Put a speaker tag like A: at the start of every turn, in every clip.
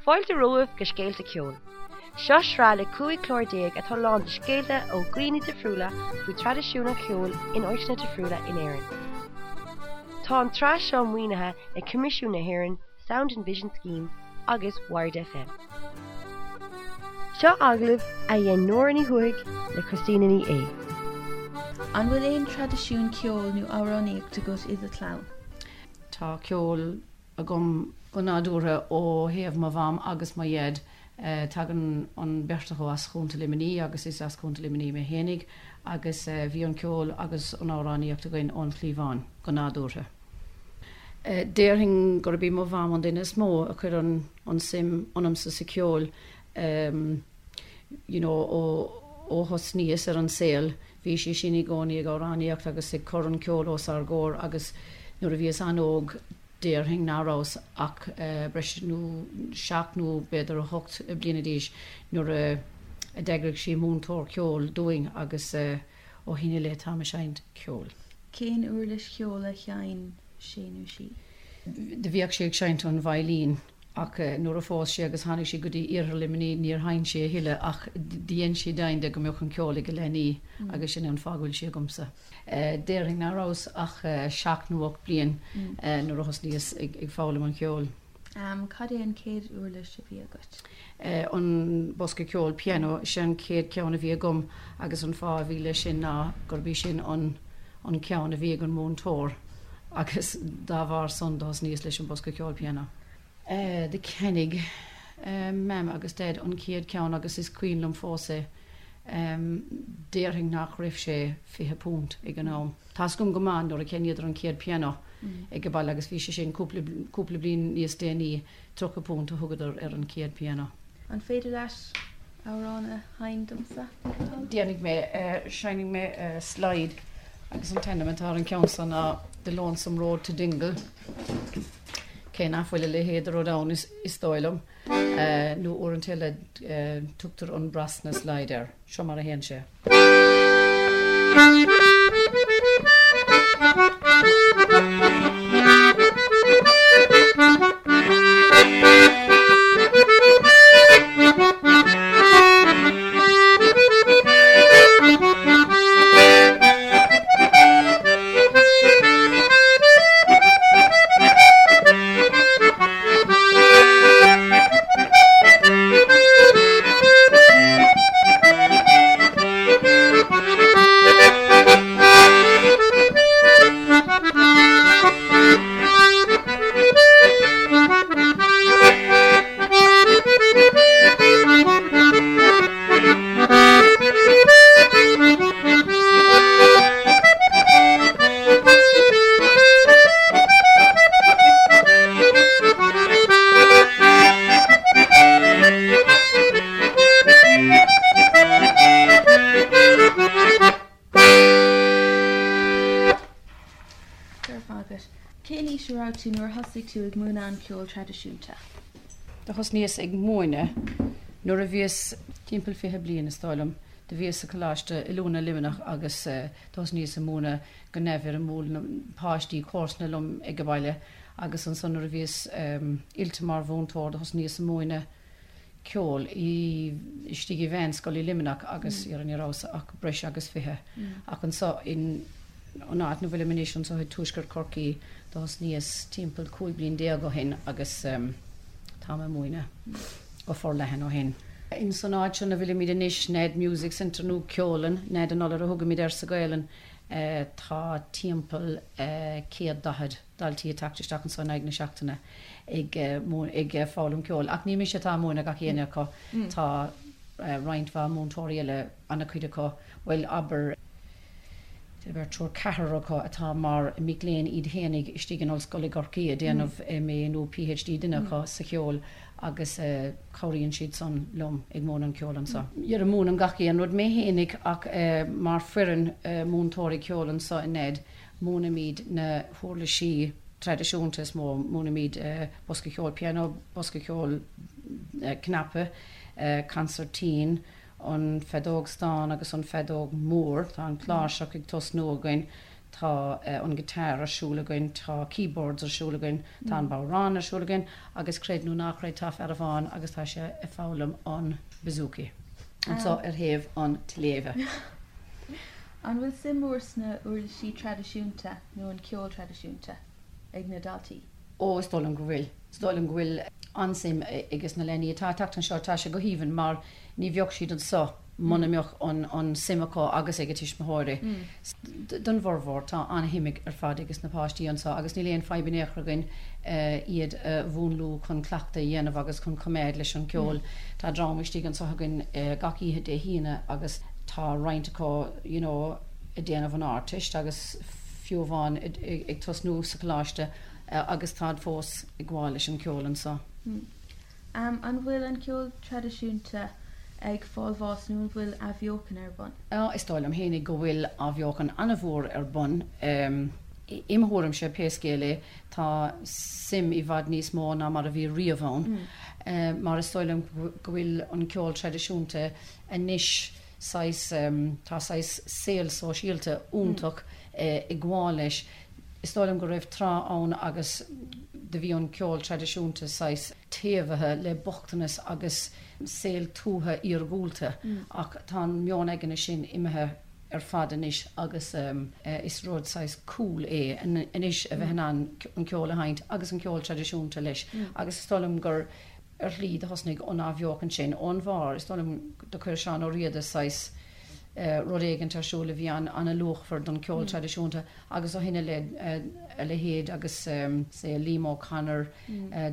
A: Fáilte romhaibh go Scéalta Ceoil. Seo sraith le 15 clár atá lán de scéalta ó dhaoine difriúla faoi traidisiún an cheoil in áiteanna difriúla in Éirinn. Tá an tsraith seo maoinithe ag Coimisiún na hÉireann Sound and Vision Scheme agus Wired FM. Seo agallamh a dhein Nóra Ní Thuathaigh le Christina Ní Aodha.
B: An bhfuil aon traidisiún ceoil nó amhránaíocht agat i do chlann?
C: Tá ceol agam go nádúrtha ó thaobh mo mham agus mo dhaid. Tagann an bheirt acu as Chontae Luimnigh agus is as Contae Luimnigh mé fhéinig agus bhí an ceol agus an amhránaíocht againn ón chliabhán go nádúrtha. Déarfainn gurb í mo mham an duine is mó a chuir an suim ionamsa sa cheol you know ó ó thosnaíos ar an saol bhí sí sin i gcónaí ag amhránaíocht agus ag cur an ceol os ár gcomhair agus nuair a bhíos an-óg déarfainn ná rabhas ach breis nó seacht nó b'fhéidir 8 bliana d'aois nuair a d'eagraigh sí múinteoir ceoil dúinn agus ó shin i leith táim ag seinnt ceoil.
B: Cén uirlis cheoil a sheinn sé nó sí?
C: Do bhíodh sí ag seinnt an veidhlín ach nuair a phós sí agus tháinig sí go dtí iarthar Luimnigh níor sheinn sí a thuilleadh ach dhein sí deimhin de go mbeadh an ceol ag a leanaí agus sin é an fáth go bhfuil sí agamsa. Déarfainn ná rabhas ach seacht nó 8 bliain nuair a thosnaíos ag foghlaim an cheoil.
B: Cad é an chéad uirlis a bhí agat?
C: An bosca ceoil, pianó, is é an chéad cheann a bhí agam agus an fáth a bhí leis sin ná gurb í sin an an ceann a bhí ag an múinteoir agus dá bharr san do thosnaíos leis an bosca ceoil pianó. Do cheannaigh Mam agus Daid an chéad cheann agus is cuimhin liom fós é. Déarfainn nach raibh sé £20 ag an am. Tá's agam go maith nuair a cheannaíodar an chéad pianó ag an baile agus bhí sé sin cúpla cúpla bliain níos déanaí, £30 a thugadar ar an chéad pianó.
B: An féidir leat amhrán a sheinm domsa, le do thoil?
C: Déanfaidh mé, seinnfidh mé slide agus an t-ainm atá ar an ceann seo ná The Lonesome Road to Dingle. Cé nach bhfuil a leithéid de rud ann is dóigh liom, nó uaireanta eile tugtar an Brosna slide air. Seo mar a théann sé.
B: Go raibh maith agat. Cén aois a raibh tú nuair a thosaigh tú ag múineadh an cheoil traidisiúnta?
C: Do thosnaíos ag múineadh nuair a bhíos timpeall 20 bliain, is dóigh liom. Do bhíos sa Choláiste Oiliúna Luimneach agus do thosnaíos ag múineadh go neamhfhoirmiúil na páistí comharsana liom ag an baile agus ansan nuair a bhíos oilte mar mhúinteoir do thosnaíos ag múineadh ceoil i istigh i mheánscoil i Luimneach agus ní rabhas ach breis agus 20 ach anso in an áit 'na bhfuilim anois anso i dtuaisceart Chorcaí do thosnaíos timpeall 15 bliain ó shin agus táim ag múineadh go forleathan ó shin. Ins an áit seo 'na bhfuilimid anois, Nead Music Centre nó Ceollann Nead an Iolair a thugaimid air sa Ghaelainn, tá timpeall 140 daltaí ag teacht isteach anso in aghaidh na seachtaine ag ag foghlaim ceoil. Ach ní mise atá ag múineadh gach éinne acu, tá roinnt mhaith múinteoirí eile, ana-chuid acu, bhuel abair, beirt, triúr, ceathrar acu atá mar mic léinn iad fhéinig istigh in Ollscoil i gCorcaigh ag déanamh MA nó PhD duine acu sa cheol agus cabhraíonn siad san liom ag múineadh an ceoil anso. Dhera múinim gach aon rud mé fhéinig ach mar foireann múinteoirí ceoil anso i Nead múinimid na huirlisí traidisiúnta is mó, múinimid bosca ceoil pianó, bosca ceoil cnaipe, consairtín, an feadóg stáin agus an feadóg mhór. Tá an cláirseach ag tosnú againn. Tá an guitar ar siúl againn, tá keyboards ar siúl againn, tá an bodhrán ar siúl againn agus creid nó ná creid tá fear amháin agus tá sé ag foghlaim an bouzouki anso ar thaobh an tsléibhe.
B: An bhfuil suim mhór sna uirlisí traidisiúnta nó an ceol traidisiúnta ag na daltaí?
C: Ó, is dóigh liom go bhfuil. Is dóigh liom go bhfuil an-suim ages na leanaí atá ag teacht anseo. Tá sé go haoibhinn mar ní bheadh siad anseo muna mbeadh an suim acu agus ag a tuismitheoirí. Don bhformhór tá an-shuim ar fad ages na páistí anseo agus níl aon fadhb in aon chor againn iad a mhúnlú chun cleachtadh a dhéanamh agus chun coimeád leis an gceol. Tá dream istigh anseo againn gach oíche Dé hAoine agus tá roinnt acu you know ag déanamh an Ardteist agus fiú amháin ag tosnú sa choláiste agus táid fós ag gabháil leis an ceol
B: anso. An bhfuil an ceol traidisiúnta ag fáil bháis nó an bhfuil athbheochan ar bun?
C: Is dóigh liom fhéinig go bhfuil athbheochan an-mhór ar bun. Im thuairimse, pé scéal é, tá suim i bhfad níos mó ná mar a bhí riamh ann. Mar is dóigh liom go bhfuil an ceol traidisiúnta anois saghas, tá saghas saol sóisialta iontach ag gabháil leis. Is dóigh liom go raibh tráth ann agus do bhí an ceol traidisiúnta saghas taobhaithe le bochtanas agus saol tuaithe iargúlta ach tá an meon aigne sin imithe ar fad anois agus is rud saghas cool é anois a bheith in ann an ceol a sheinnt agus an ceol traidisiúnta leis agus is dóigh liom gur ar shlí do thosnaigh an athbheochan sin ón bharr. Is dóigh liom do chuir Seán Ó Riada saghas rud éigint ar siúl a bhí an-luachmhar don cheol traidisiúnta agus ó shin i leith a leithéid agus say Liam O'Connor,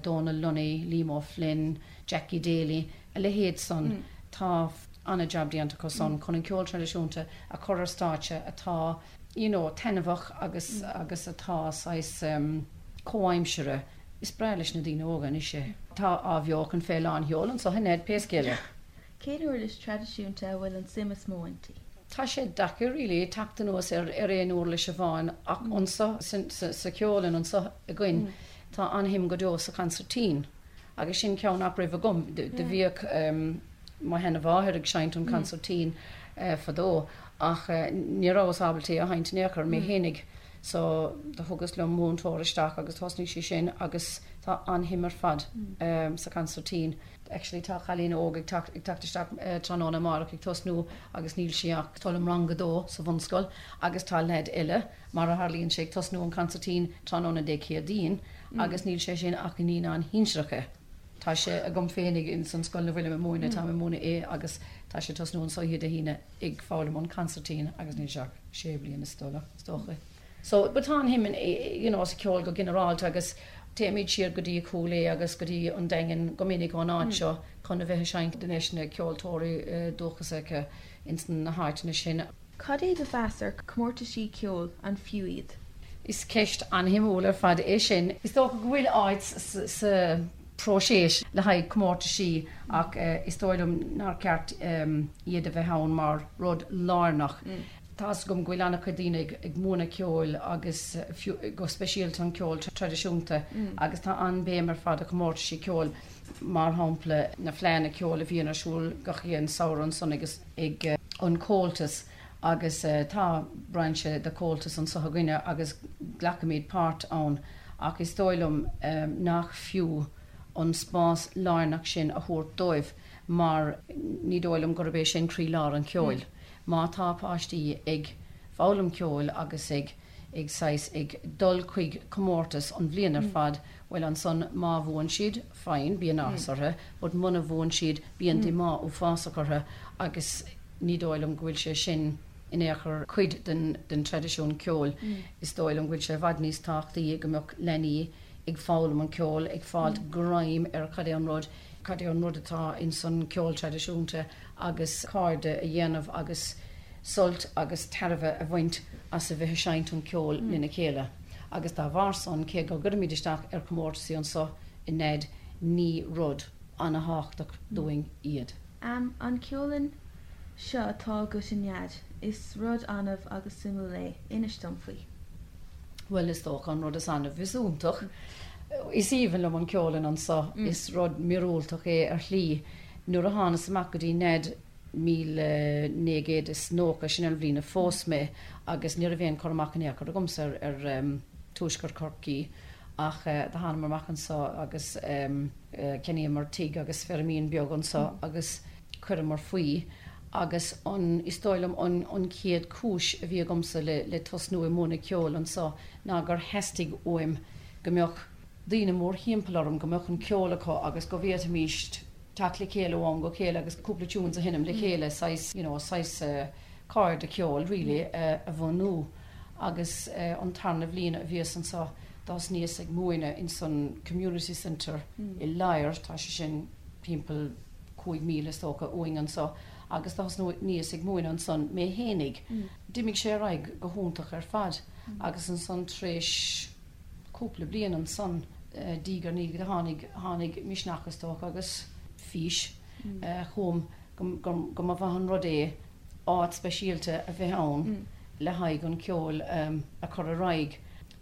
C: Dónal Lunny, Liam O'Flynn, Jackie Daly, a leithéid san, tá an-jab déanta acu san chun an ceol traidisiúnta a chur ar stáitse atá you know taitneamhach agus agus atá saghas comhaimseartha. Is breá leis na daoine óga anois é. Tá athbheochan fé lán sheol anso in Nead pé scéal é.
B: Cén uirlis traidisiúnta a bhfuil an suim is mó inti?
C: Tá sé deacair really teacht anuas ar ar aon uirlis amháin ach anso sa cheollann anso againn tá an-shuim go deo sa chansairtín agus sin ceann nach raibh agam. Do bhíodh mo sheana-mháthair ag seinnt an chansairtín fadó ach ní rabhas ábalta é a sheinnt in aon chor mé fhéinig. So do thugas liom múinteoir isteach agus thosnaigh sí sin agus tá an-shuim ar fad sa chansairtín. Actually tá cailín óg ag teacht ag teacht isteach tráthnóna amárach ag tosnú agus níl sí ach dul i rang a dó sa bhunscoil agus tá leaid eile mar a tharlaíonn sé ag tosnú an consairtín tráthnóna Dé Céadaoin agus níl sé sin ach i naíonáin shinsearacha. Tá sé agam féinig ins an scoil ina bhfuilim ag múineadh, táim ag múineadh é agus tá sé ag tosnú anso oíche Dé hAoine. ag foghlaim an consairtín agus níl sé ach sé bliana is dócha. So, but tá an-shuim in, you know, sa cheol go ginearálta agus téimid siar go dtí Cúil Aodha agus go dtí an Daingean go minic ón áit seo chun a bheith ag seinnt leis na ceoltóirí dúchasacha ins na háiteanna sin.
B: Cad é do mheas ar chomórtaisí ceoil, an fiú iad?
C: Is ceist an-shuimiúil ar fad é sin. Is dócha go bhfuil áit sa próiseas le haghaidh comórtaisí ach is dóigh liom nár cheart iad a bheith ann mar rud lárnach. Tá's agam go bhfuil an-chuid daoine ag múineadh ceoil agus fiú go speisialta an ceol traidisiúnta agus tá an-bhéim ar fad ar chomórtaisí ceoil, mar shampla na fleánna ceoil a bhíonn ar siúl gach aon samhradh ansan agus ag an Comhaltas agus tá brainse de Chomhaltas anso againne agus glacaimid páirt ann ach is dóigh liom nach fiú an spás lárnach sin a thabhairt dóibh mar ní dóigh liom gurb é sin croílár an cheoil. Má tá páistí ag foghlaim ceoil agus ag ag saghas ag dul chuig comórtas an bhliain ar fad, bhuel ansan má bhuann siad, fine, bíonn áthas orthu, but muna bhuann siad bíonn díomá uafásach orthu agus ní dóigh liom go bhfuil sé sin in aon chor cuid den den traidisiún ceoil. Is dóigh liom go bhfuil sé i bhfad níos tábhachtaí go mbeadh leanaí ag foghlaim an ceol, ag fáilt greim ar cad é an rud, cad é an rud atá ins an ceol traidisiúnta agus cairde a dhéanamh agus sult agus tairbhe a bhaint as a bheith ag seinnt an ceol lena chéile. Agus dá bharr san, cé go gcuirimid isteach ar chomórtasaí anso i Nead, ní rud ana-thábhachtach dúinn iad.
B: Am, An ceollann seo atá agat i Nead, is rud annamh agus suimiúil é, inis dom faoi.
C: Bhuel, is dócha an rud is annamh is iontach. Is aoibhinn liom an ceollann anso, is rud míorúilteach é ar shlí. Nuair a thánas amach go dtí Nead. 1990, sin an bhliain a phós mé agus ní raibh aon cur amach in aon chor agamsa ar tuaisceart Chorcaí ach do thánamar amach anso agus cheannaíomar tigh agus feirmín beag anso agus chuireamar faoi agus an, is dóigh liom an an chéad chúis a bhí agamsa le le tosnú ag múineadh ceoil anso ná gur theastaigh uaim go mbeadh daoine mórthimpeall orm, go mbeadh an ceol acu agus go bhféadfaimíst teacht le chéile ó am go chéile agus cúpla tunes a sheinm le chéile, saghas, you know, saghas cairde ceoil really a bhunú. Agus an tarna bhliain a bhíos anso d'thosnaíos ag múineadh ins an community centre i Ladhar, tá sé sin timpeall 5 míle is dócha uainn anso, agus d'thosnaíos ag múineadh ansan mé fhéinig. D'imigh sé ar aghaidh go hiontach ar fad agus ansan tar éis cúpla bliain ansan, diaidh ar ndiaidh, tháinig, tháinig misneach is dócha agus fís chugam go, go mba mhaith an rud é áit speisialta a bheith ann le haghaidh an ceol a chur ar aghaidh.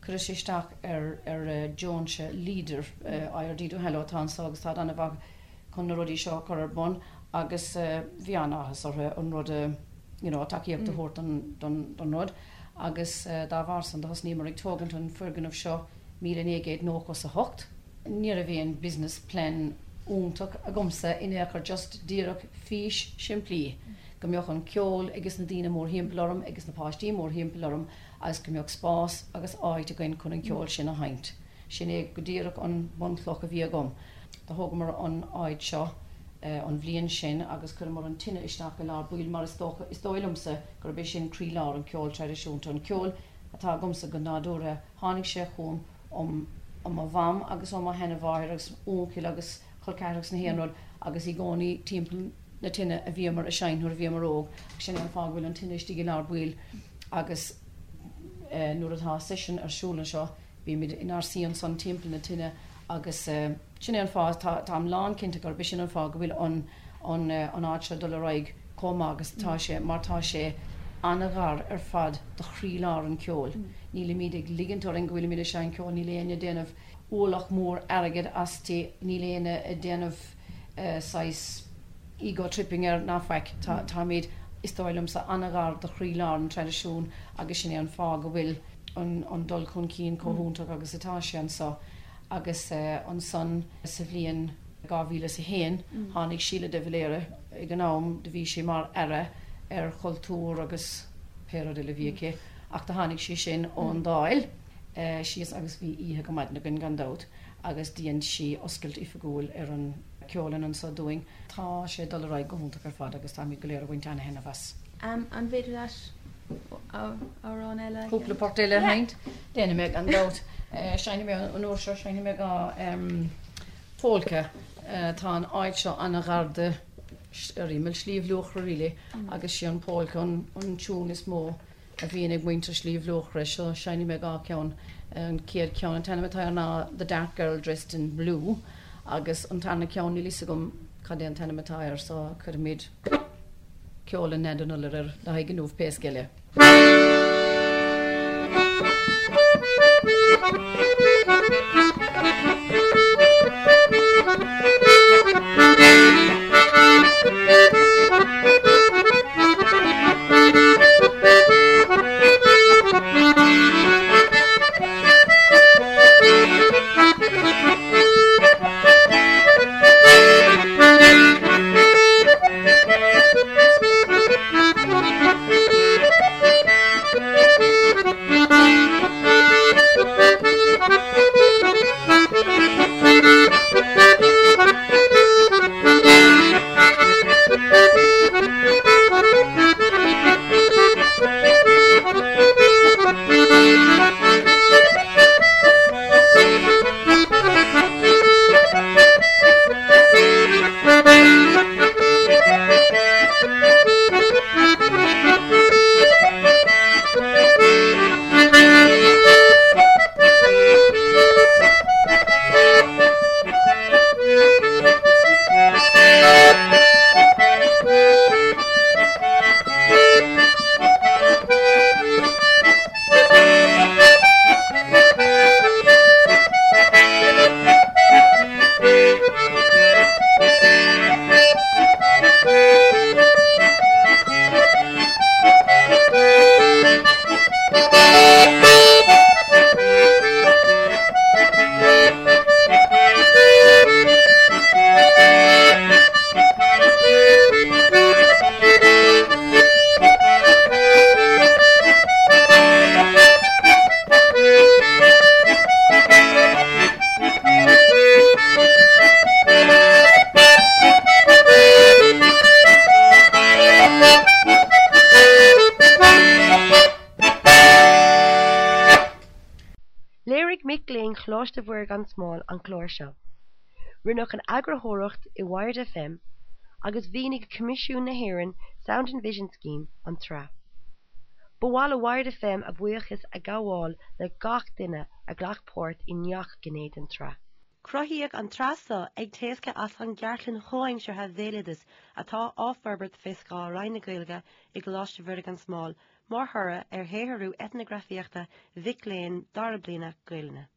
C: Chuireas isteach ar, ar deontas Leader, IRD Duhallow atá anso agus táid an-mhaith chun na rudaí seo a chur ar bun agus bhí an-áthas orthu an rud a, you know, tacaíocht a thabhairt don, don, don rud agus dá bharr san do thosnaíomar ag tógaint an foirgneamh seo 1998. Ní raibh aon business plan iontach agamsa in aon chor just díreach fís simplí go mbeadh an ceol ages na daoine mórthimpeall orm agus na páistí mórthimpeall orm agus go mbeadh spás agus áit againn chun an ceol sin a sheinnt. Sin é go díreach an bunchloch a bhí agam. Do thógamar an áit seo an bhliain sin agus chuireamar an tine isteach i lár baill mar is dócha, is dóigh liomsa gurb é sin croílár an ceoil traidisiúnta, an ceol atá agamsa go nádúrtha. Tháinig sé chugam ó mo mham agus ó mo sheanmháthair agus uncail agus col ceathracha agus na haon rud agus i gcónaí timpeall na tine a bhíomar a seinnt nuair a bhíomar óg agus sin é an fáth go bhfuil an tine istigh i lár baill agus nuair atá seisiún ar siúl anseo Bímid inár suí ansan timpeall na tine agus sin é an fáth, táim lán cinnte gurb é sin an fáth go bhfuil an an áit seo ag dul ar aghaidh chomh maith agus atá sé mar tá sé an-ghar ar fad do chroílár an cheoil. Nílimid ag ligint orainn go bhfuilimid ag seinnt ceoil, níl éinne ag déanamh ualach mór airgid aisti, níl éinne ag déanamh saghas ego tripping air ná faic. Táimid, is dóigh liomsa, an-ghar do chroílár an traidisiúin agus sin é an fáth go bhfuil. an dul chun cinn chomh hiontach agus atá sé anso agus ansan sa bhliain 2001 tháinig Síle de Valera ag an am do bhí sí mar Aire ar Chultúr agus pé rud eile a bhí aici ach do tháinig sí sin ón Dáil síos agus bhí oíche go maidin againn gan dabht agus dhein sí oscailt oifigiúil ar an ceollann anso dúinn. Tá sé ag dul ar aghaidh go hiontach ar fad agus táimid go léir ag baint ana-thaitneamh as.
B: An bhféidir leat amhrán eile a
C: Cúpla port eile a sheinnt? Déanfaidh mé gan dabht. Seinnfidh mé an uair seo, seinnfidh mé dhá pholca. Tá an áit seo an-ghar do ar imeall Shliabh Luachra really agus sí an polca an tiún is mó a bhíonn ag muintir Shliabh Luachra so seinnfidh mé dhá cheann. An chéad cheann, an t-ainm atá air ná The Dark Girl Dressed in Blue agus an tarna ceann níl fhios agam cad é an t-ainm atá air so cuirfimid ceol an Nead an Iolair air le haghaidh inniu pé scéal é.
A: Choláiste Mhuire gan Smál an clár seo. Rinneadh an eagarthóireacht i Wired FM agus mhaoinigh Coimisiún na hÉireann Sound and Vision Scheme an tsraith. Ba mhaith le Wired FM a bhuíochas a ghabháil le gach duine a ghlac páirt i ngach gné den tsraith. Cruthaíodh an tsraith seo ag éascairt as an gCartlann Chomhaimseartha Bhéaloideas atá á forbairt fé scáth Roinn na Gaeilge i gColáiste Mhuire gan Smál mar thoradh ar shaothrú eitneagrafaíochta mhic léinn dara bliana Gaelainne.